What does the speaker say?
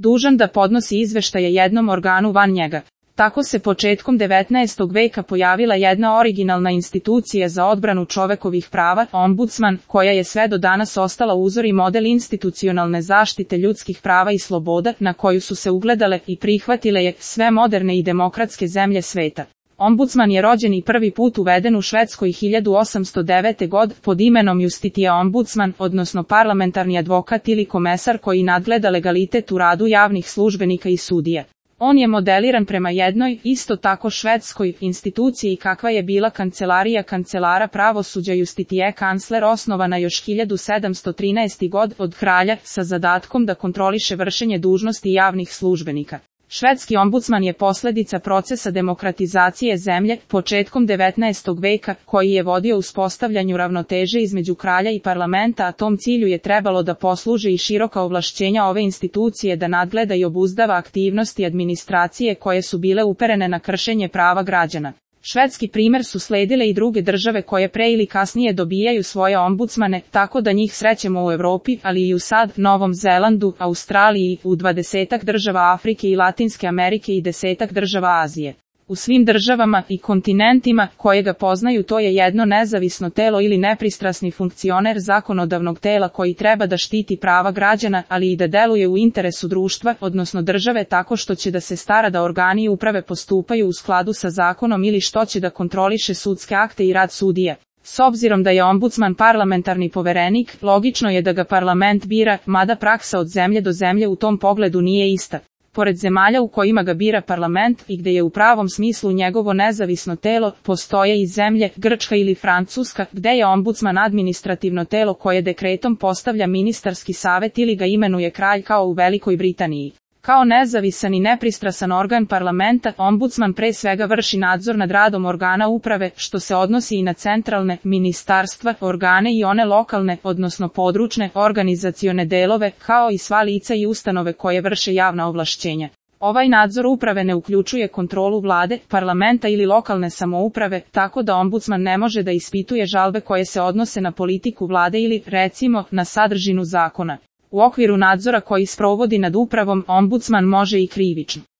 dužan da podnosi izveštaje jednom organu van njega. Tako se početkom 19. veka pojavila jedna originalna institucija za odbranu čovekovih prava, ombudsman, koja je sve do danas ostala uzor i model institucionalne zaštite ljudskih prava i sloboda, na koju su se ugledale i prihvatile je sve moderne i demokratske zemlje sveta. Ombudsman je rođen i prvi put uveden u Švedskoj 1809. godine pod imenom Justitije ombudsman, odnosno parlamentarni advokat ili komesar koji nadgleda legalitet u radu javnih službenika i sudija. On je modeliran prema jednoj, isto tako švedskoj, instituciji kakva je bila kancelarija kancelara pravosuđa Justitije kansler, osnovana još 1713. godine od kralja, sa zadatkom da kontroliše vršenje dužnosti javnih službenika. Švedski ombudsman je posledica procesa demokratizacije zemlje početkom 19. veka, koji je vodio uspostavljanju ravnoteže između kralja i parlamenta, a tom cilju je trebalo da posluže i široka ovlašćenja ove institucije da nadgleda i obuzdava aktivnosti administracije koje su bile uperene na kršenje prava građana. Švedski primer su sledile i druge države koje pre ili kasnije dobijaju svoje ombudsmane, tako da njih srećemo u Evropi, ali i u SAD, Novom Zelandu, Australiji, u 20 država Afrike i Latinske Amerike i 10 država Azije. U svim državama i kontinentima koje ga poznaju to je jedno nezavisno telo ili nepristrasni funkcioner zakonodavnog tela koji treba da štiti prava građana, ali i da deluje u interesu društva, odnosno države, tako što će da se stara da organi uprave postupaju u skladu sa zakonom ili što će da kontroliše sudske akte i rad sudija. S obzirom da je ombudsman parlamentarni poverenik, logično je da ga parlament bira, mada praksa od zemlje do zemlje u tom pogledu nije ista. Pored zemalja u kojima ga bira parlament i gde je u pravom smislu njegovo nezavisno telo, postoje i zemlje, Grčka ili Francuska, gde je ombudsman administrativno telo koje dekretom postavlja ministarski savet ili ga imenuje kralj, kao u Velikoj Britaniji. Kao nezavisan i nepristrasan organ parlamenta, ombudsman pre svega vrši nadzor nad radom organa uprave, što se odnosi i na centralne, ministarstva, organe i one lokalne, odnosno područne, organizacione delove, kao i sva lica i ustanove koje vrše javna ovlašćenja. Ovaj nadzor uprave ne uključuje kontrolu vlade, parlamenta ili lokalne samouprave, tako da ombudsman ne može da ispituje žalbe koje se odnose na politiku vlade ili, recimo, na sadržinu zakona. U okviru nadzora koji sprovodi nad upravom, ombudsman može i krivično